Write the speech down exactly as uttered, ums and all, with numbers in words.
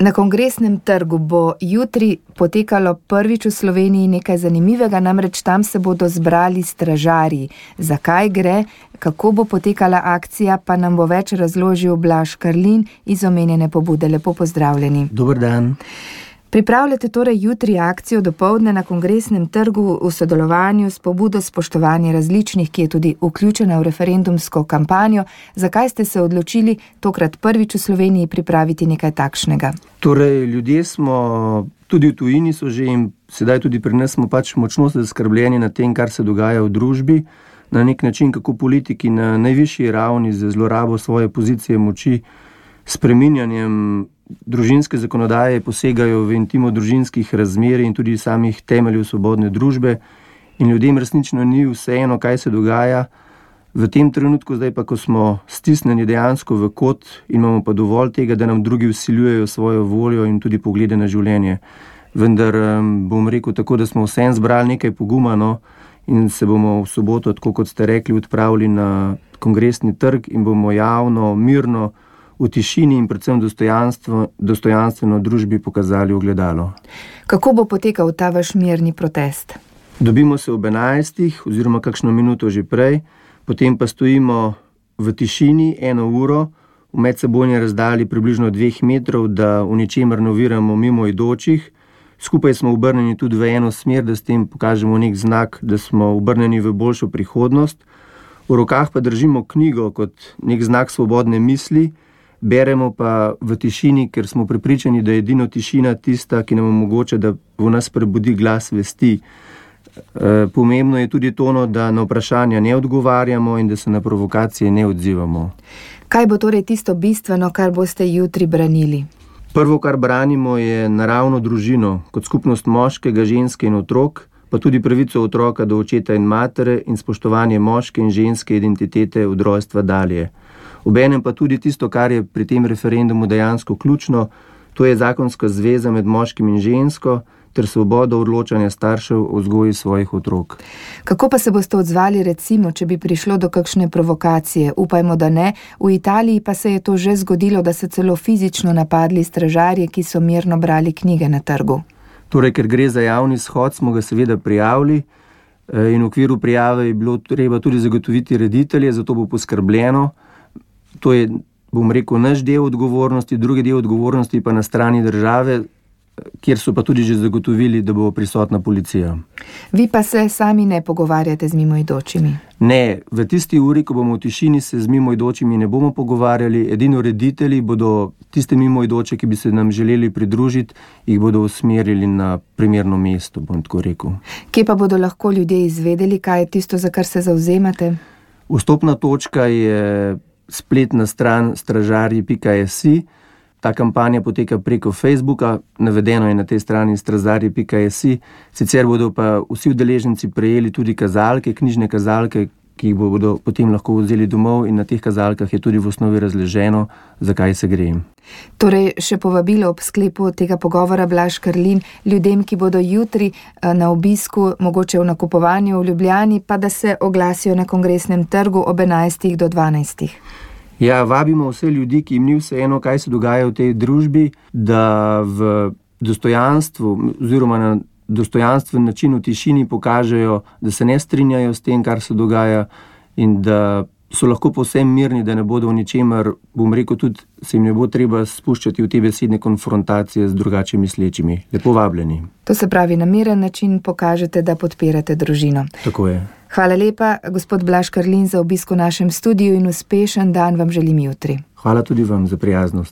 Na Kongresnem trgu bo jutri potekalo prvič v Sloveniji nekaj zanimivega, namreč tam se bodo zbrali stražarji. Zakaj gre, kako bo potekala akcija, pa nam bo več razložil Blaž Karlin iz omenjene pobude. Lepo pozdravljeni. Dober dan. Pripravljate torej jutri akcijo dopoldne na Kongresnem trgu v sodelovanju s pobudo Spoštovanje različnih, ki je tudi vključena v referendumsko kampanjo. Zakaj ste se odločili tokrat prvič v Sloveniji pripraviti nekaj takšnega? Torej, ljudje smo, tudi v tujini so že in sedaj tudi pri nas smo pač močno zaskrbljeni nad tem, kar se dogaja v družbi. Na nek način, kako politiki na najvišji ravni z zlorabo svoje pozicije moči, spreminjanjem družinske zakonodaje posegajo v intimo družinskih razmerij in tudi samih temeljev svobodne družbe in ljudem resnično ni vseeno, kaj se dogaja. V tem trenutku, zdaj pa, ko smo stisnjeni dejansko v kot in imamo pa dovolj tega, da nam drugi vsiljujejo svojo voljo in tudi poglede na življenje. Vendar bom rekel tako, da smo vsem zbrali nekaj poguma, no, in se bomo v soboto, tako kot ste rekli, odpravili na Kongresni trg in bomo javno, mirno, v tišini in predvsem dostojanstvo, dostojanstveno družbi pokazali ogledalo. Kako bo potekal ta vaš mirni protest? Dobimo se ob enajstih oziroma kakšno minuto že prej, potem pa stojimo v tišini eno uro, v medsebojni razdalji približno dveh metrov, da v ničemer ne oviramo mimoidočih. Skupaj smo obrnjeni tudi v eno smer, da s tem pokažemo nek znak, da smo obrnjeni v boljšo prihodnost. V rokah pa držimo knjigo kot nek znak svobodne misli. Beremo pa v tišini, ker smo prepričani, da je edino tišina tista, ki nam omogoča, da v nas prebudi glas vesti. E, pomembno je tudi to, da na vprašanja ne odgovarjamo in da se na provokacije ne odzivamo. Kaj bo torej tisto bistveno, kar boste jutri branili? Prvo, kar branimo, je naravno družino, kot skupnost moškega, ženske in otrok, pa tudi pravico otroka do očeta in matere in spoštovanje moške in ženske identitete od rojstva dalje. Obenem pa tudi tisto, kar je pri tem referendumu dejansko ključno, to je zakonska zveza med moškim in žensko ter svoboda odločanja staršev o vzgoji svojih otrok. Kako pa se boste odzvali recimo, če bi prišlo do kakšne provokacije? Upajmo, da ne. V Italiji pa se je to že zgodilo, da so celo fizično napadli stražarje, ki so mirno brali knjige na trgu. Torej, ker gre za javni shod, smo ga seveda prijavili in v okviru prijave je bilo treba tudi zagotoviti reditelje, zato bo poskrbljeno. To je, bom rekel, naš del odgovornosti, drugi del odgovornosti pa na strani države, kjer so pa tudi že zagotovili, da bo prisotna policija. Vi pa se sami ne pogovarjate z mimoidočimi? Ne, v tisti uri, ko bomo v tišini, se z mimoidočimi ne bomo pogovarjali. Edino reditelji bodo tiste mimoidoče, ki bi se nam želeli pridružiti, jih bodo usmerili na primerno mesto, bom tako rekel. Kje pa bodo lahko ljudje izvedeli, kaj je tisto, za kar se zavzemate? Vstopna točka je spletna stran stražarji pika si. Ta kampanja poteka preko Facebooka, navedeno je na tej strani stražarji pika si. Sicer bodo pa vsi udeleženci prejeli tudi kazalke, knjižne kazalke, ki jih bodo potem lahko vzeli domov in na teh kazalkah je tudi v osnovi razleženo, zakaj se gre. Torej, še povabilo ob sklepu tega pogovora, Blaž Karlin, ljudem, ki bodo jutri na obisku, mogoče v nakupovanju v Ljubljani, pa da se oglasijo na Kongresnem trgu ob enajstih do dvanajstih. Ja, vabimo vse ljudi, ki jim ni vseeno, kaj se dogaja v tej družbi, da v dostojanstvu oziroma na dostojanstven način v tišini pokažejo, da se ne strinjajo s tem, kar se dogaja in da so lahko povsem mirni, da ne bodo v ničemer, bom rekel tudi, se jim ne bo treba spuščati v te besedne konfrontacije z drugače mislečimi. Lepo vabljeni. To se pravi, na miren način pokažete, da podpirate družino. Tako je. Hvala lepa, gospod Blaž Karlin, za obisk v našem studiu in uspešen dan vam želim jutri. Hvala tudi vam za prijaznost.